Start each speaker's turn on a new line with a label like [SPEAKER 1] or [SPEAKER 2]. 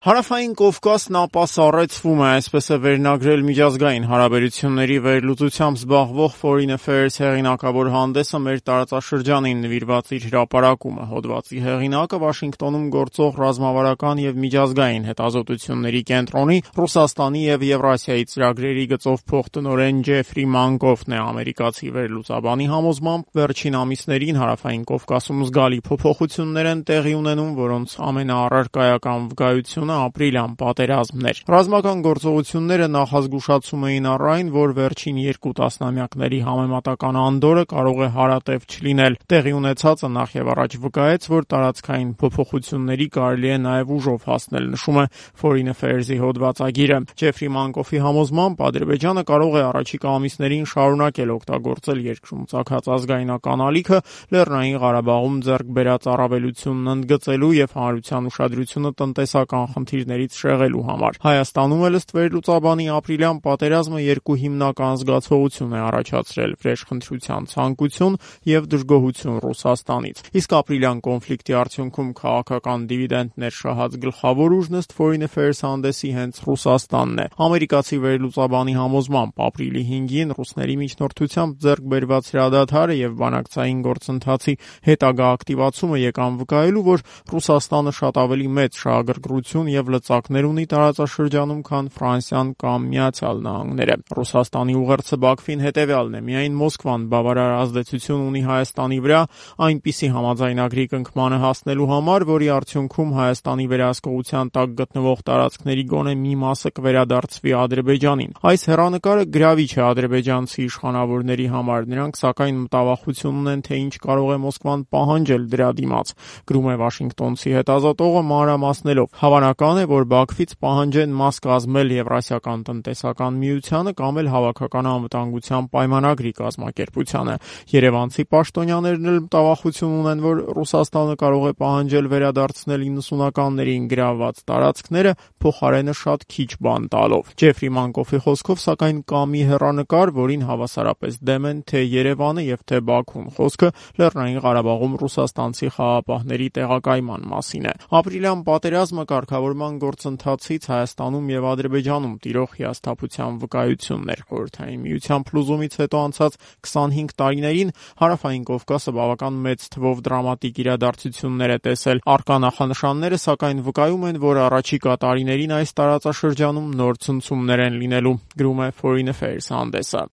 [SPEAKER 1] Հարավային Կովկասն ապասառեցվում է, այսպես է վերնագրել միջազգային հարաբերությունների վերլուծությամբ զբաղվող Foreign Affairs հեղինակավոր հանդեսը մեր տարածաշրջանին նվիրված իր հրապարակումը։ Հոդվածի հեղինակը Վաշինգտոնում գործող ռազմավարական և միջազգային հետազոտությունների կենտրոնի Ռուսաստանի և Եվրասիայի ծրագրերի գծով փոխտնօրեն Ջեֆրի Մանկոֆն է։ Ամերիկացի վերլուծաբանի համոզմամբ վերջին ամիսներին Հարավային Կովկասում զգալի փոփոխություններ են տեղի ունենում, որոնց ամենաառարկայական վկայությունը ապրիլյան պատերազմն էր։ Ռազմական գործողությունները նախազգուշացում էին առ այն, որ վերջին 2 տասնամյակների համեմատական անդորրը կարող է հարատև չլինել։ Տեղի ունեցածը նախևառաջ վկայեց, որ տարածքային փոփոխությունների կարելի է նաև ուժով հասնել, նշում է Foreign Affairs-ի հոդվածագիրը։ Ջեֆրի Մանկոֆի համոզմամբ Ադրբեջանը կարող է առաջիկա ամիսներին շարունակել օգտագործել երկրում ծագած ազգայնական ալիքը Լեռնային Ղարաբաղում ձեռք բերած առավելությունն ընդգծելու և հանրության ուշադրությունը տնտեսական խնդիրներից շեղելու համար։ Հայաստանում էլ ըստ վերլուծաբանի ապրիլյան պատերազմը 2 հիմնական զգացողություն է առաջացրել՝ վրեժխնդրության ցանկություն և դժգոհություն Ռուսաստանից։ Իսկ ապրիլյան կոնֆլիկտի արդյունքում քաղաքական դիվիդենտներ շահած գլխավոր ուժն ըստ Foreign Affairs հանդեսի հենց Ռուսաստանն է։ Ամերիկացի վերլուծաբանի համոզմամբ ապրիլի 5-ին ռուսների միջնորդությամբ ձեռք բերված հրադադարը և բանակցային գործընթացի հետագա ակտիվացումը եկան վկայելու, որ Ռուսաստանը շատ ավելի մեծ շահագրգռություն և լծակներ ունի տարածաշրջանում, քան Ֆրանսիան կամ Միացյալ Նահանգները։ Ռուսաստանի ուղերձը Բաքվին հետևյալն է՝ միայն Մոսկվան բավարար ազդեցություն ունի Հայաստանի վրա այնպիսի համաձայնագրի կնքմանը հասնելու համար, որի արդյունքում Հայաստանի վերահսկողության տակ գտնվող տարածքների գոնե մի մասը կվերադարձվի Ադրբեջանին։ Այս հեռանկարը գրավիչ է ադրբեջանցի իշխանավորների համար, նրանք սակայն մտավախություն ունեն, թե ինչ կարող է Մոսկվան պահանջել դրա դիմաց, գրում է Վաշինգտոնցի հետազոտողը մանրամասնելով. Հավանական է, որ Բաքվից պահանջեն մաս կազմել Եվրասիական տնտեսական միությանը կամ էլ հավաքական անվտանգության պայմանագրի կազմակերպությանը։ Երևանցի պաշտոնյաներն էլ մտավախություն ունեն, որ Ռուսաստանը կարող է պահանջել վերադարձնել 90-ականներին գրավված տարածքները, փոխարենը շատ քիչ բան տալով։ Ջեֆրի Մանկոֆի խոսքով, սակայն կա մի հեռանկար, որին հավասարապես դեմ են թե Երևանը և թե Բաքուն։ Խոսքը Լեռնային Ղարաբաղում ռուսաստանցի խաղաղապահների տեղակայման մասին է։ Ապրիլյան պատերազմը կարգավորման գործընթացից Հայաստանում և Ադրբեջանում տիրող հիասթափության վկայությունն էր։ Խորհրդային Միության փլուզումից հետո անցած 25 տարիներին Հարավային Կովկասը բավական մեծ թվով դրամատիկ իրադարձություններ է տեսել։ Առկա նախանշանները սակայն վկայում են, որ առաջիկա տարիներին այս տարածաշրջանում նոր ցնցումներ են լինելու, գրում է Foreign Affairs հանդեսը։